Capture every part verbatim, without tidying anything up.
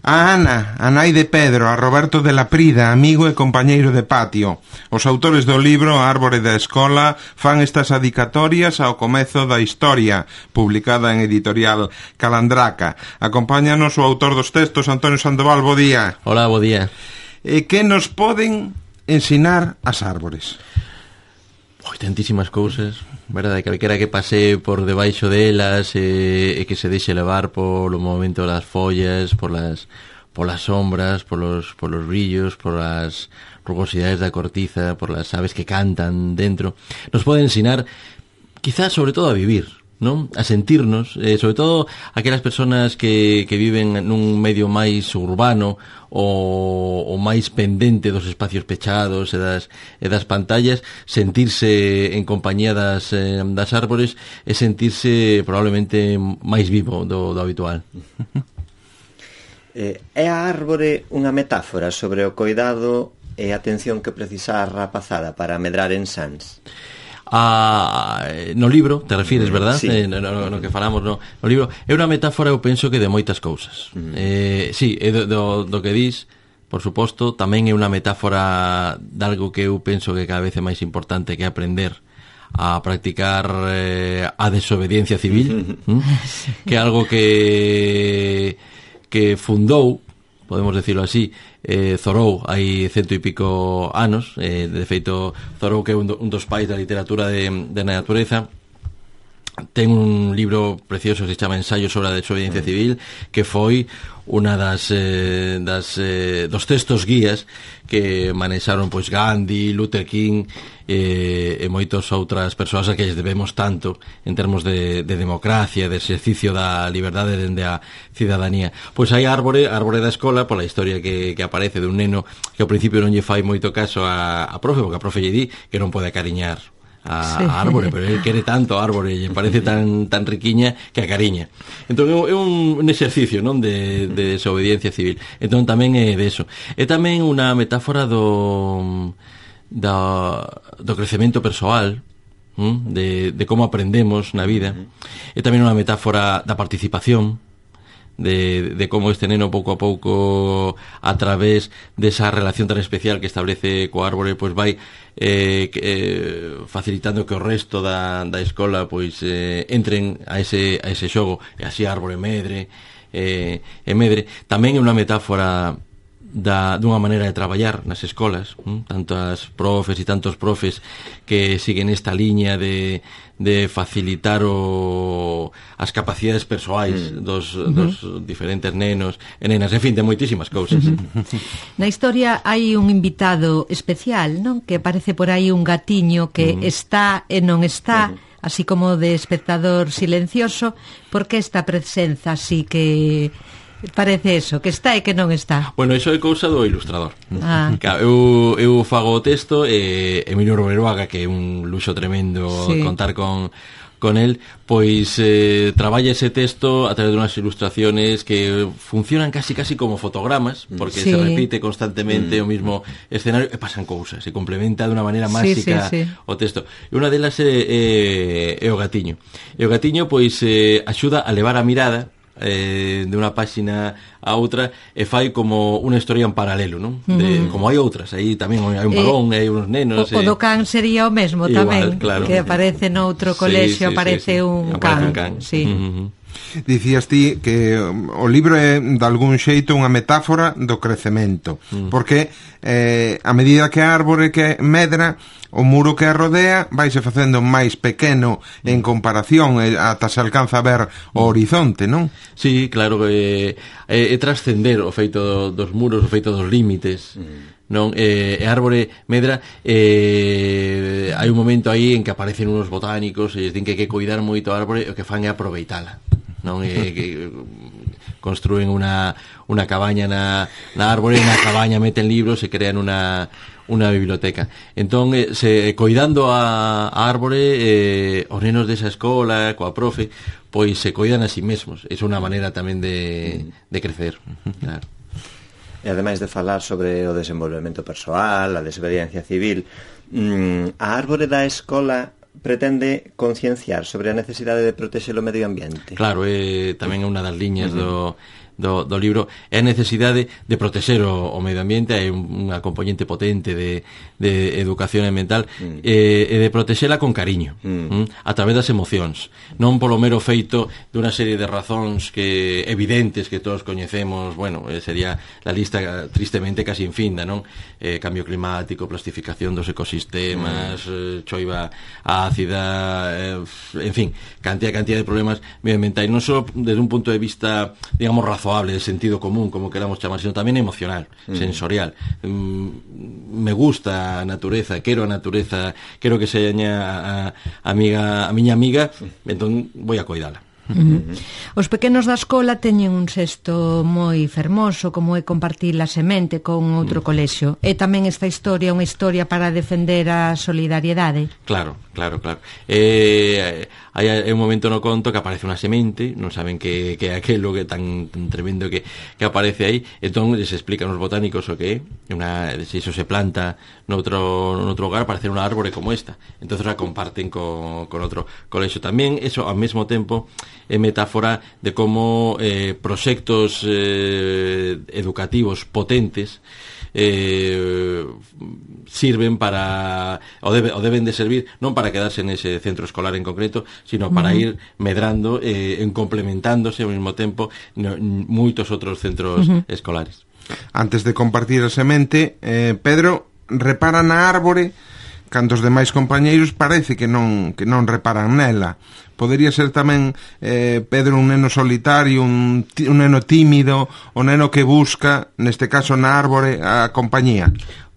A Ana, a nai de Pedro, a Roberto de la Prida, amigo e compañeiro de patio. Os autores do libro A Árbore da Escola fan estas adicatorias ao comezo da historia, publicada en editorial Calandraca. Acompáñanos o autor dos textos, Antonio Sandoval, bo día. Hola, bo día. E que nos poden ensinar as árbores? Oi, tantísimas cousas, verdade, calquera que pase por debaixo delas e, e que se deixe levar polo movimento das follas, por las, por las sombras, por los, por los brillos, por las rugosidades da cortiza, por las aves que cantan dentro, nos pode ensinar quizás sobre todo a vivir, non? A sentirnos, eh, sobre todo aquelas persoas que, que viven nun medio máis urbano o, o máis pendente dos espacios pechados e das, e das pantallas, sentirse en compañía das, eh, das árbores e sentirse probablemente máis vivo do, do habitual. eh, É a árbore unha metáfora sobre o coidado e a atención que precisa a rapazada para medrar en sans? A, no libro, te refires, verdad? Sí. Eh, no, no, no que falamos no, no libro. É unha metáfora, eu penso que de moitas cousas. Mm. Eh, sí, é do, do, do que dis, por suposto, tamén é unha metáfora de algo que eu penso que cada vez é máis importante, que é aprender a practicar eh, a desobediencia civil, ¿Mm? Que é algo que que fundou, podemos decirlo así, eh, Thoreau hai cento e pico anos, eh, de feito Thoreau, que é un, do, un dos pais da literatura de, de natureza, ten un libro precioso que se chama Ensayo sobre a desobediencia civil, que foi unha das, eh, das eh, dos textos guías que manexaron pois Gandhi, Luther King eh, e moitas outras persoas a que lles debemos tanto en termos de, de democracia, de exercicio da liberdade dende a cidadanía. Pois hai árbore, árbore da escola, pola historia que, que aparece de un neno que ao principio non lle fai moito caso a, a profe, porque a profe lle di que non pode acariñar a, sí. a árbore, pero ele quere tanto a árbore e parece tan tan riquiña que acariña. Entón é un, un exercicio, non, de, de desobediencia civil. Entón tamén é de eso. É tamén unha metáfora do do, do crecemento persoal, de, de como aprendemos na vida. É tamén unha metáfora da participación, de, de como este neno pouco a pouco, a través desa relación tan especial que establece co árbore, pois vai eh, eh, facilitando que o resto da, da escola pois eh, entren a ese, a ese xogo, e así a árbore medre eh, e medre. Tamén é unha metáfora da, dunha maneira de traballar nas escolas, hm? Tantas profes e tantos profes que siguen esta liña de, de facilitar o, as capacidades persoais mm. dos, uh-huh. dos diferentes nenos e nenas, en fin, de moitísimas cousas. Na historia hai un invitado especial, non? Que aparece por aí un gatiño que uh-huh. está e non está, uh-huh. así como de espectador silencioso. Por que esta presenza así que parece eso, que está e que non está? Bueno, iso é cousa do ilustrador. Ah. Eu, eu fago o texto e Emilio Roberoaga, que é un luxo tremendo sí. contar con con el, pois eh, traballa ese texto a través de unhas ilustraciones que funcionan casi casi como fotogramas, porque sí. se repite constantemente mm. o mismo escenario e pasan cousas, se complementa de unha maneira máxica sí, sí, sí. o texto. E unha delas é, é, é o gatiño. E o gatiño pois eh, axuda a levar a mirada eh, de unha páxina a outra e fai como unha historia en paralelo, non? De, mm. como hai outras, aí tamén hai un balón, eh, hai uns nenos. O, o do can sería o mesmo igual, tamén, claro. Que aparece noutro colexio, sí, sí, aparece, sí, sí. Un, aparece can. un can. Sí. Mm-hmm. Dicías ti que o libro é de algún xeito unha metáfora do crecemento, mm. porque eh, a medida que a árbore que medra, o muro que a rodea vaise facendo máis pequeno en comparación e ata se alcanza a ver o horizonte, non? Sí, claro, é, é, é trascender o feito dos muros, o feito dos límites, mm. non? E, e árbore medra, e, hai un momento aí en que aparecen unos botánicos e din que hai que cuidar moito a árbore, e o que fan é aproveitala, non? E, que construen unha, unha cabaña na, na árbore, e na cabaña meten libros e crean unha unha biblioteca. Entón, eh, se coidando a, a árbore, eh, os nenos desa escola, coa profe, pois se coidan a si mesmos. É unha maneira tamén de, de crecer. Claro. E ademais de falar sobre o desenvolvemento persoal, a desobediencia civil, mmm, a árbore da escola pretende concienciar sobre a necesidade de protexer o medio ambiente. Claro, é tamén unha das liñas uh-huh. do do, do libro é a necesidade de protexer o, o medio ambiente, hai unha componente potente de, de educación ambiental mm. e, e de protexela con cariño mm. Mm, a través das emocións, non polo mero feito dunha serie de razóns que evidentes que todos coñecemos, bueno, sería la lista tristemente casi infinda, non? Eh, cambio climático, plastificación dos ecosistemas, mm. eh, choiva ácida, eh, en fin, cantidad cantidad de problemas medioambientais, non só desde un punto de vista, digamos, razoable, de sentido común, como queramos chamar, sino tamén emocional, mm. sensorial. Mm, me gusta a natureza, quero a natureza, quero que seña a, a, amiga, a miña amiga, entón vou a coidala. Uh-huh. Os pequenos da escola teñen un xesto moi fermoso, como é compartir a semente con outro uh-huh. colexio. E tamén esta historia é unha historia para defender a solidariedade. Claro, claro, claro. Eh, hai un momento no conto que aparece unha semente, non saben que, que é aquelo que tan, tan tremendo que, que aparece aí, entón les explican os botánicos o que é, una, se iso se planta noutro, noutro lugar, aparece unha árbore como esta, entón a comparten con, con outro colexio. Tamén, eso, ao mesmo tempo, é metáfora de como eh, proxectos eh, educativos potentes eh, sirven para o, debe, o deben de servir non para quedarse nese centro escolar en concreto, sino para uh-huh. ir medrando eh, en complementándose ao mesmo tempo no, moitos outros centros uh-huh. escolares. Antes de compartir a semente, eh, Pedro repara na árbore cando os demais compañeiros parece que non que non reparan nela. Podería ser tamén eh, Pedro un neno solitario, un, un neno tímido, o neno que busca, neste caso na árbore, a compañía.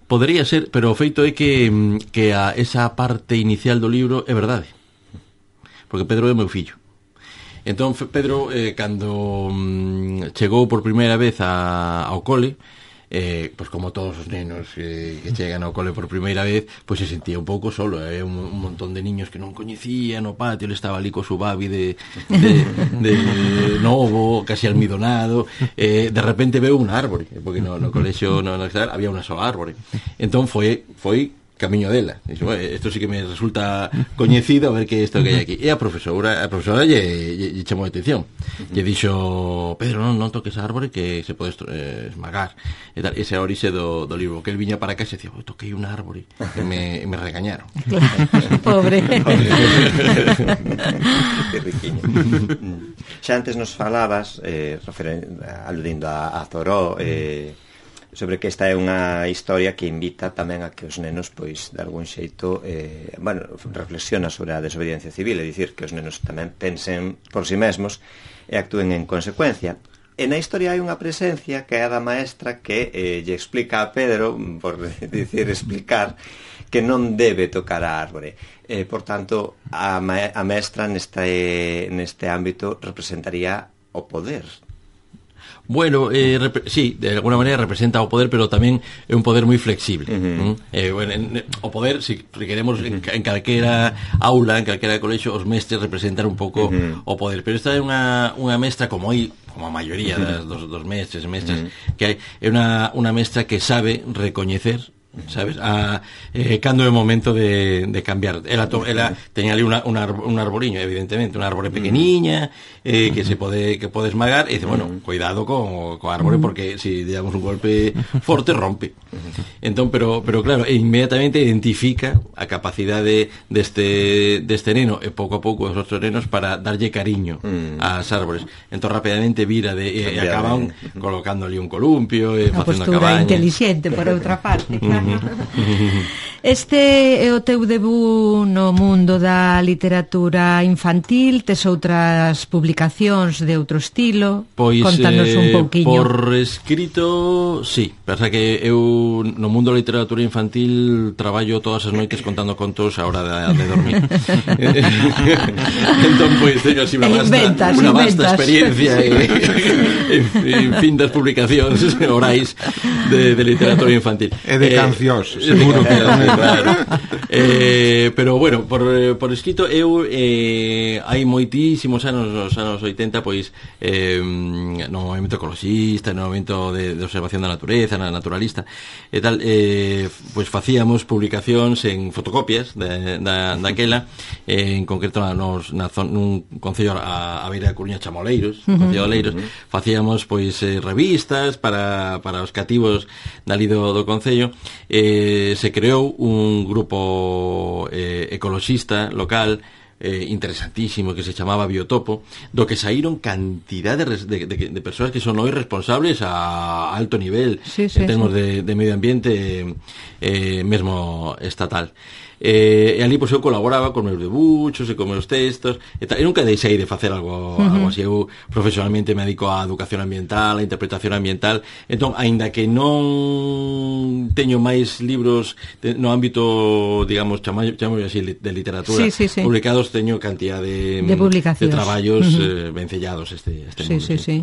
Podría ser, pero o feito é que, que a esa parte inicial do libro é verdade. Porque Pedro é meu fillo. Entón, Pedro, eh, cando mm, chegou por primeira vez a, ao cole, eh, pois como todos os nenos eh, que chegan ao cole por primeira vez, pois se sentía un pouco solo, eh, un, un montón de niños que non coñecía no patio, ele estaba ali co su babi de, de, de novo, casi almidonado, eh, de repente veu un árbore, porque no, no colexio no, no, había unha sola árbore, entón foi, foi camiño dela. Dixo, isto sí que me resulta coñecido, a ver que isto que hai aquí. E a profesora, a profesora lle, lle, lle chamou a atención. Lle dixo, Pedro, non, non toques a árbore que se pode eh, esmagar. E tal, ese é a orixe do, do libro, que el viña para cá e se dicía, oh, toquei un árbore. E me, me regañaron. Claro, pobre. Que riquiño. Xa antes nos falabas, eh, aludindo a, a Zoró, eh, sobre que esta é unha historia que invita tamén a que os nenos, pois, de algún xeito, eh, bueno, reflexiona sobre a desobediencia civil, é dicir, que os nenos tamén pensen por si mesmos e actúen en consecuencia. E na historia hai unha presencia que é a da maestra que eh, lle explica a Pedro, por dicir, explicar, que non debe tocar a árbore. Eh, por tanto, a, ma a maestra neste, neste ámbito representaría o poder. Bueno, eh, sí, de alguna maneira representa o poder, pero tamén é un poder moi flexible. Uh-huh. eh, bueno, en, o poder, si queremos, en, en calquera aula, en calquera colexio, os mestres representan un pouco uh-huh. o poder, pero esta é unha, unha mestra como hai, como a maioría das, dos, dos mestres e mestras uh-huh. que hai, é unha, unha mestra que sabe recoñecer, sabes, a, eh, cando é o momento de, de cambiar. Ela, to, ela teña ali una, una, un arboriño, evidentemente, unha árbore pequeniña eh, que se pode que pode esmagar e dice, bueno, cuidado co, co árbore porque se si damos un golpe forte rompe. Entón, pero, pero claro, inmediatamente identifica a capacidade deste, deste neno e pouco a pouco os outros nenos para darlle cariño ás árbores. Entón rapidamente vira de, e, e acaban colocando ali un columpio e facendo a cabaña. Postura inteligente, por outra parte, claro. Este é o teu debut no mundo da literatura infantil, tes outras publicacións de outro estilo? Pois, contanos un pouquiño. Por escrito, sí, pensa que eu no mundo da literatura infantil traballo todas as noites contando contos a hora de, de dormir. Entón, pois, teño así unha vasta, inventas, unha vasta experiencia e, en, en fin das publicacións orais de, de literatura infantil. E de cancións Ciós, seguro que claro. eh, pero bueno, por, por escrito eu eh, hai moitísimos anos, nos anos oitenta, pois eh, no movimento ecoloxista, no movimento de, de observación da natureza, na naturalista e tal, eh, pois facíamos publicacións en fotocopias de, da, daquela, eh, en concreto nos, na zon, nun concello a, a beira da Coruña, Chamoleiros, uh -huh. Concello de Oleiros, uh -huh. facíamos pois eh, revistas para, para os cativos dali do, do concello. Eh, se creou un grupo eh, ecoloxista local eh, interesantísimo que se chamaba Biotopo, do que saíron cantidad de, de, de, de persoas que son hoy responsables a alto nivel, sí, sí, en termos sí. de, de medio ambiente eh, mesmo estatal. Eh, e ali pois eu colaboraba con meus debuchos e con meus textos e tal, e nunca deixei de facer algo, uh -huh. algo así. Eu profesionalmente me dedico á educación ambiental, á interpretación ambiental, entón, aínda que non teño máis libros de, no ámbito, digamos, chamo, chamo así, de literatura sí, sí, sí. publicados, teño cantidad de, de, de traballos uh -huh. eh, vencellados este, este sí, mundo, sí, sí.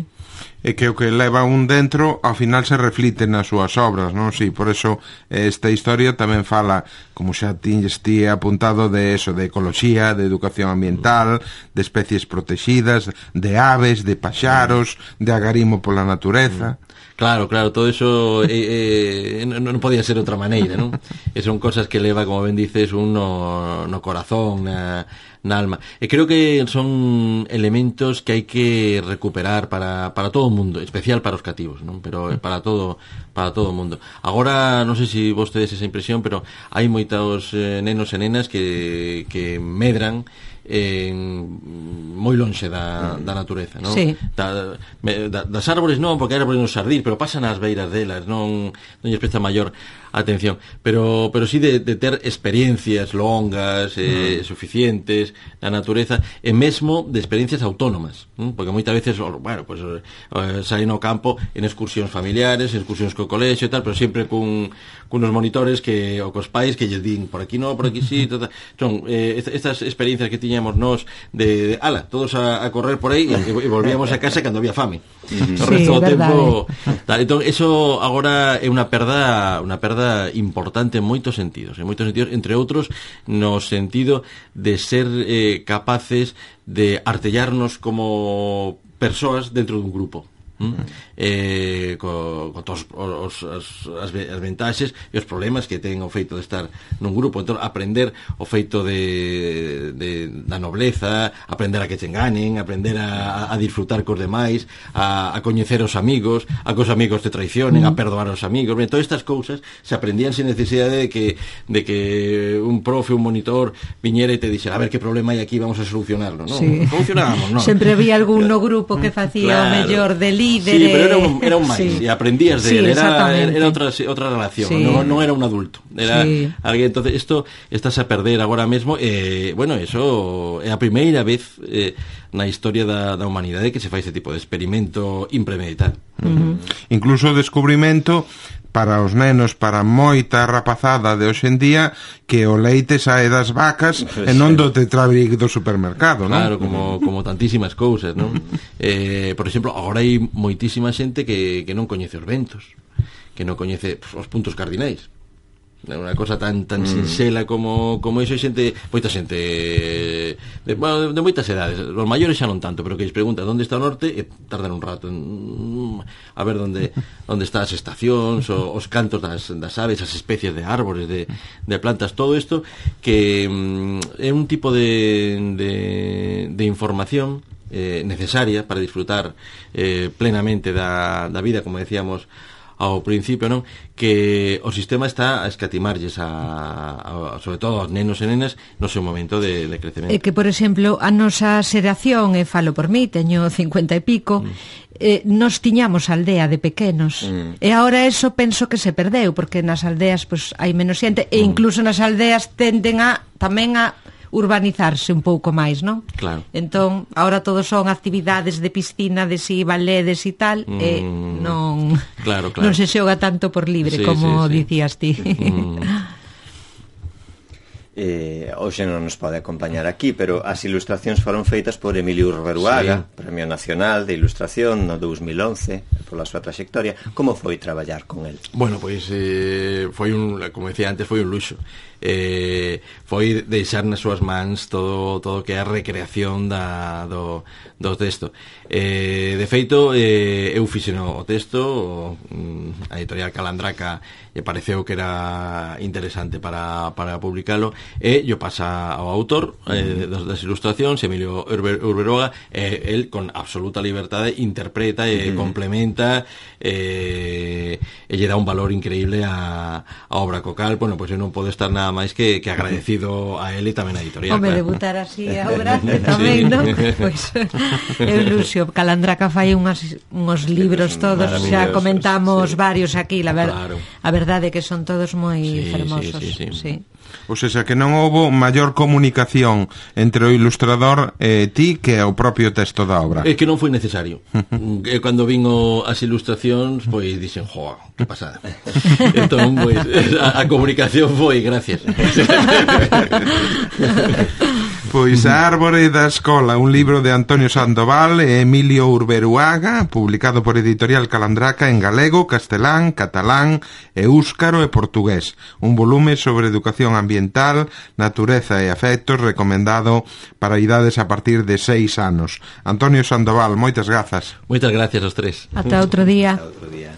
E que o que leva un dentro ao final se reflite nas súas obras, non? Si, por eso esta historia tamén fala, como xa tiñes ti apuntado, de eso, de ecoloxía, de educación ambiental, de especies protegidas, de aves, de paxaros, de agarimo pola natureza. Claro, claro, todo eso eh, eh, non, non podía ser outra maneira, non? E son cosas que leva, como ben dices, un no, no corazón, na, na alma. E creo que son elementos que hai que recuperar para, para todo o mundo, especial para os cativos, non? Pero para todo para todo o mundo. Agora, non sei se vos tedes esa impresión, pero hai moitos eh, nenos e nenas que, que medran en moi lonxe da, da natureza, non? Sí. Da, da, das árbores non, porque árbores nos sardir, pero pasan ás beiras delas, non, non lles presta maior atención, pero pero sí de, de ter experiencias longas, eh, mm. suficientes na natureza, e mesmo de experiencias autónomas, ¿no? Porque moitas veces, bueno, pues eh, saen ao campo en excursións familiares, en excursións co colexio e tal, pero sempre cun cunos monitores que ou cos pais que lles din por aquí no, por aquí sí, tal, tal. Son eh, estas experiencias que tiñamos nós de, de ala, todos a, a correr por aí e, e volvíamos a casa cando había fame. Mm-hmm. O resto sí, do tempo, tal, entón eso agora é unha perda, unha perda importante en moitos sentidos, en moitos sentidos, entre outros no sentido de ser eh, capaces de artellarnos como persoas dentro dun grupo. ¿Mm? Eh, co, co todos os, os, as, as ventaxes e os problemas que ten o feito de estar nun grupo. Entón, aprender o feito de, de, da nobleza, aprender a que te enganen, aprender a, a disfrutar cos demais, a, a coñecer os amigos, a que os amigos te traicionen, mm. a perdoar os amigos. Ben, todas estas cousas se aprendían sin necesidade de que, de que un profe, un monitor viñera e te dixera, a ver que problema hai aquí, vamos a solucionarlo, non? Sí. Solucionábamos, non? Sempre había algún no grupo que facía claro. o mellor de líder. Sí, pero era un, era un máis, sí. e aprendías de sí, él, era, era outra, outra relación, sí. non, non era un adulto, era sí. alguén. Entonces, isto estás a perder agora mesmo, e, eh, bueno, eso é a primeira vez eh, na historia da, da humanidade que se fai ese tipo de experimento impremeditado. Uh -huh. Incluso o descubrimento para os nenos, para moita rapazada de hoxe en día, que o leite sae das vacas e non do tetrabric do supermercado, non? Claro, como, como tantísimas cousas, non? Eh, por exemplo, agora hai moitísima xente que, que non coñece os ventos, que non coñece pues, os puntos cardinais. Unha cosa tan tan mm. sinxela como como iso, xente, moita xente de, bueno, de, de moitas edades, os maiores xa non tanto, pero que lles preguntan onde está o norte e tardan un rato en, a ver onde onde están as estacións, o, os cantos das, das aves, as especies de árbores, de, de plantas, todo isto que mm, é un tipo de, de, de información eh, necesaria para disfrutar eh, plenamente da, da vida, como decíamos ao principio, non? Que o sistema está a escatimarlles a, a, sobre todo aos nenos e nenas no seu momento de, de crecemento. É que, por exemplo, a nosa xeración, e falo por mí, teño cincuenta e pico, mm. eh, nos tiñamos aldea de pequenos, mm. e agora eso penso que se perdeu, porque nas aldeas pues, hai menos xente, e incluso nas aldeas tenden a tamén a urbanizarse un pouco máis, non? Claro. Entón, agora todos son actividades de piscina, de si, baledes e tal, mm. e non claro, claro. non se xoga tanto por libre, sí, como sí, sí. dicías ti. Mm. Eh, hoxe non nos pode acompañar aquí, pero as ilustracións foron feitas por Emilio Urberuaga, sí. Premio Nacional de Ilustración no dos mil once, pola súa traxectoria. Como foi traballar con el? Bueno, pois eh, foi un, como decía antes, foi un luxo. Eh, foi deixar nas súas mans todo todo que é a recreación da, do, do texto. Eh, de feito, eh, eu fixen o texto, o, a editorial Calandraca e pareceu que era interesante para, para publicalo, e yo pasa ao autor eh, das, das ilustracións, Emilio Urberuaga, e eh, el con absoluta liberdade interpreta e uh-huh. complementa eh, e lle dá un valor increíble a, a obra cocal. Bueno, pois pues eu non podo estar nada máis que, que agradecido a él e tamén a editorial. Home, claro. Debutar así a obra tamén, sí. Non? Pois é un luxo. Calandraca fai unhas, unhos libros todos, xa comentamos sí. varios aquí, la ver, claro. A verdade é que son todos moi sí, fermosos. Sí, sí, sí. Sí. O sea, que non houbo maior comunicación entre o ilustrador e ti que o propio texto da obra. É que non foi necesario. E cando vin o, as ilustracións, pois dixen, joa, que pasada. Entón, pois, a, a comunicación foi, gracias. Pois A Árbore da Escola, un libro de Antonio Sandoval e Emilio Urberuaga, publicado por Editorial Calandraca en galego, castelán, catalán, éuscaro e portugués. Un volume sobre educación ambiental, natureza e afectos, recomendado para idades a partir de seis anos. Antonio Sandoval, moitas grazas. Moitas gracias aos tres. Ata outro día. Ata outro día.